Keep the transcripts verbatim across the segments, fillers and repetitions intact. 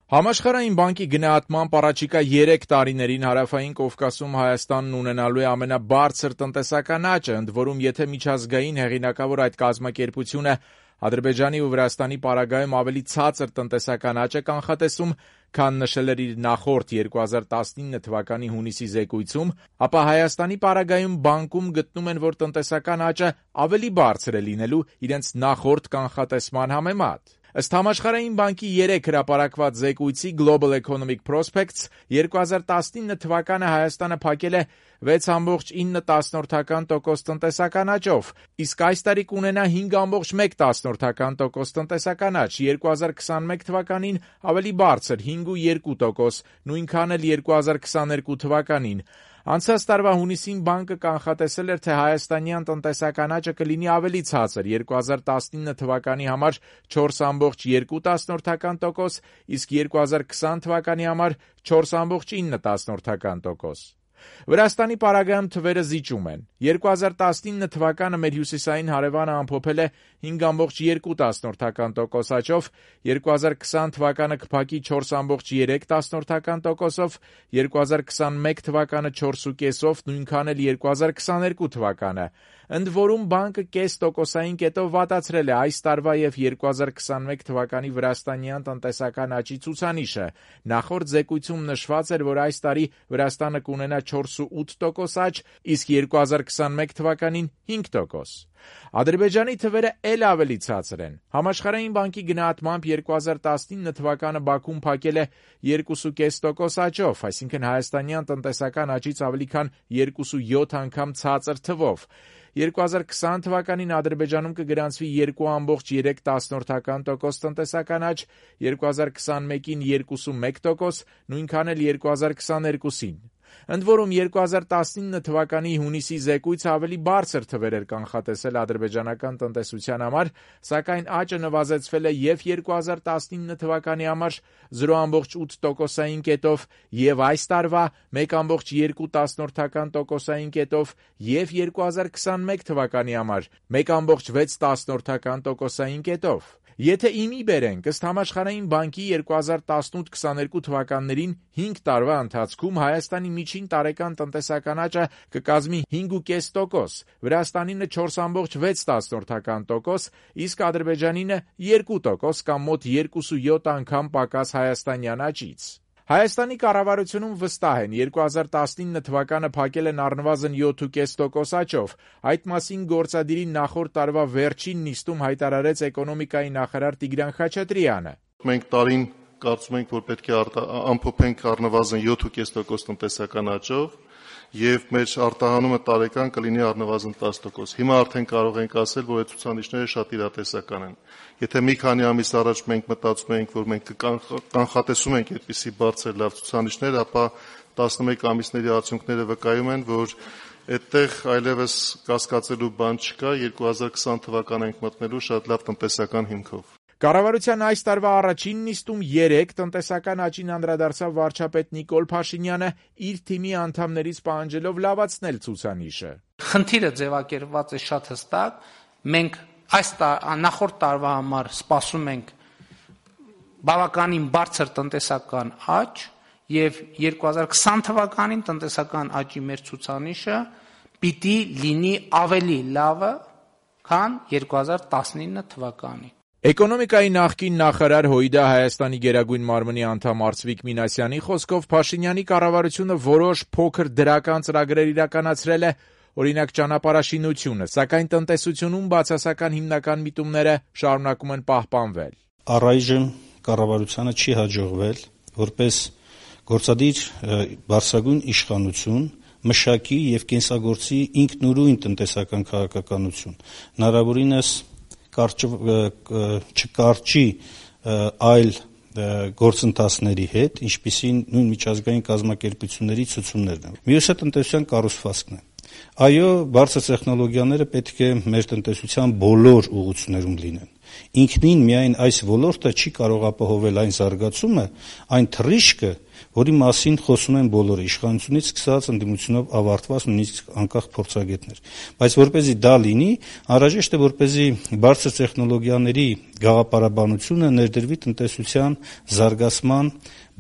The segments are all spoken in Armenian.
Համաշխարհային բանկի գնահատմամբ առաջիկա երեք տարիներին Հարավային Կովկասում Հայաստանն ունենալու է ամենաբարձր տնտեսական աճը, ընդ որում եթե միջազգային հեղինակավոր այդ կազմակերպությունը Ադրբեջանի ու Վրաստանի պարագայում ավելի ցածր տնտեսական աճ է կանխատեսում, քան նշել էր իր նախորդ երկու հազար տասնինը թվականի հունիսի զեկույցում, ապա Հայաստանի պարագայում բանկում գտնում են, որ տնտեսական աճը ավելի բարձր է լինելու իրենց նախորդ կանխատեսման համեմատ։ Ըստ Համաշխարհային բանկի երեկ հրապարակված զեկույցի Global Economic Prospects երկու հազար տասնինը թվականը Հայաստանը փակել է վեց կόμma ինը տոկոս տնտեսական աճով, իսկ այս տարի կունենա հինգ կόμma մեկ տոկոս տնտեսական աճ, երկու հազար քսանմեկ թվականին ավելի բարձր հինգ կόμma երկու տոկոս, նույնքան էլ երկու հազար քսաներկու թվականին։ Անցած տարվա հունիսին բանկը կանխատեսել էր, թե հայաստանյան տնտեսական աճը կլինի ավելի ցածր՝ երկու հազար տասնինը թվականի համար չորս կόμma երկու տոկոս, իսկ երկու հազար քսան թվականի համար չորս կόμma ինը տոկոս։ Վրաստանի պարագայում թվերը զիջում են։ երկու հազար տասնինը թվականը մեր հյուսիսային հարևանը ամփոփել է հինգ կόμma երկու տոկոս աճով, երկու հազար քսան թվականը կփակի չորս կόμma երեք տոկոսով, երկու հազար քսանմեկ թվականը չորս կόμma պենսով, նույնքան էլ երկու հազար քսաներկու թվականը։ Ընդ որում բանկը կես տոկոսային կետով վատացրել է այս տարվա եւ երկու հազար քսանմեկ թվականի վրաստանյան տնտեսական աճի ցուցանիշը։ Նախորդ զեկույցում նշված էր, որ այս տարի Վրաստանը կունենա չորս կόμma ութ տոկոս աճ, իսկ երկու հազար քսանմեկ թվականին հինգ տոկոս։ Ադրբեջանի թվերը էլ ավելի ցածր են։ Համաշխարհային բանկի գնահատմամբ երկու հազար տասնինը թվականը Բաքուն փակել է երկու կόμma պենս տոկոս աճով, այսինքն հայաստանյան տնտեսական աճից ավելի քան երկու կόμma յոթ անգամ ցածր թվով։ երկու հազար քսան թվականին Ադրբեջանում կգրանցվի երկու կόμma երեք տոկոս տնտեսական աճ, երկու հազար քսանմեկին երկու կόμma մեկ տոկոս, նույնքան էլ երկու հազար քսաներկուսին։ Ընդ որում երկու հազար տասնինը թվականի հունիսի զեկույցը ավելի բարձր թվեր էր կանխատեսել ադրբեջանական տնտեսության համար, սակայն աճը նվազեցվել է և երկու հազար տասնինը թվականի համար զրո կόμma ութ տոկոսային կետով, և այս տարվա մեկ կόμma երկու տոկոսային կետով, և երկու հազար քսանմեկ թվականի համար մեկ կόμma վեց տոկոսային կետով։ Եթե իմի բերենք, ըստ Համաշխարհային բանկի երկու հազար տասնութ քսաներկու թվականներին հինգ տարվա ընթացքում Հայաստանի միջին տարեկան տնտեսական աճը կկազմի հինգ կόμma պենս տոկոս, Վրաստանինը չորս կόμma վեց տոկոս, իսկ Ադրբեջանինը երկու տոկոս կամ մոտ երկու կόμma յոթ անգամ պակաս հայաստանյան աճից։ Հայաստանի կառավարությունում վստահ են, երկու հազար տասնինը թվականը փակել են առնվազն յոթ կόμma պենս տոկոս աճով։ Այդ մասին գործադիրի նախորդ տարվա վերջին նիստում հայտարարեց էկոնոմիկայի նախարար Տիգրան Խաչատրյանը։ Մենք տարին կարծում ենք, որ պետք է ամփոփենք առնվազն յոթ կόμma պենս տոկոս տնտեսական աճով, եւ մեր արտահանումը տարեկան կլինի առնվազն տասը տոկոս։ Հիմա արդեն կարող ենք ասել, որ այդ ցուցանիշները շատ իրատեսական են։ Եթե մի քանի ամիս առաջ մենք մտածում էինք, որ մենք կանխատեսում ենք այդպիսի բարձր լավ ցուցանիշներ, ապա տասնմեկ ամիսների արդյունքները վկայում են, որ այդտեղ այլևս կասկածելու բան չկա, երկու հազար քսան թվական ենք մտնելու շատ լավ տնտեսական հիմքով։ Կառավարության այս տարվա առաջին նիստում երեք տնտեսական աճին անդրադարձավ վարչապետ Նիկոլ Փաշինյանը, իր թիմի անդամներից պահանջելով լավացնել ցուցանիշը։ Խնդիրը ձևակերպված է շատ հստակ, մենք այս նախորդ տարվա համար սպասում ենք բավականին բարձր տնտեսական աճ եւ երկու հազար քսան թվականին տնտեսական աճի մեր ցուցանիշը պիտի լինի ավելի լավը, քան երկու հազար տասնինը թվականի։ Էկոնոմիկայի նախկին նախարար Հույդա Հայաստանի Գերագույն մարմնի անդամ Արծվիկ Մինասյանի խոսքով Փաշինյանի կառավարությունը որոշ փոքր դրական ծրագրեր իրականացրել է, օրինակ ճանապարհաշինությունը, սակայն տնտեսությունում բացասական հիմնական միտումները շարունակում են պահպանվել։ Առայժմ կառավարությանը չի հաջողվել որպես գործադիր բարձրագույն իշխանություն մշակի եւ կենսագործի ինքնուրույն տնտեսական քաղաքականություն, հնարավորինս չկարճի այլ գործընթացների հետ, ինչպիսին նույն միջազգային կազմակերպությունների ցուցումներն են։ Մյուսը տնտեսության կառուցվածքն է։ Այո, բարձր տեխնոլոգիաները պետք է մեր տնտեսության բոլոր ուղղություններում լինեն, Ինքնին միայն այս ոլորտը չի կարող ապահովել այն զարգացումը, այն թռիչքը, որի մասին խոսում են բոլորը, իշխանությունից սկսած ընդդիմությունով ավարտված նույնիսկ անկախ փորձագետներ։ Բայց որպեսզի դա լինի, անհրաժեշտ է, որպեսզի բարձր տեխնոլոգիաների գաղափարաբանությունը ներդրվի տնտեսության զարգացման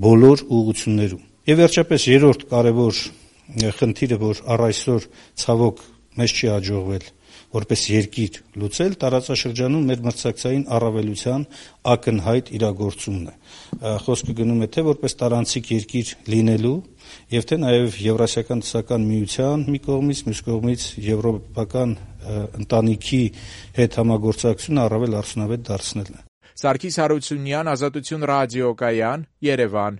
բոլոր ուղղություններում։ Եվ վերջապես երրորդ կարևոր խնդիրը, որ առ այսօր ցավոք մեզ չի հաջողվել որպես երկիր լուծել, տարածաշրջանում մեր մրցակցային առավելության ակնհայտ իրագործումն է։ Խոսքը գնում է թե որպես տարանցիկ երկիր լինելու եւ թե նաեւ Եվրասիական տնտեսական միության մի կողմից, մյուս կողմից եվրոպական ընտանիքի հետ համագործակցությունը առավել արդյունավետ դարձնելն է։ Սարգիս Հարությունյան, Ազատություն ռադիոկայան, Երևան։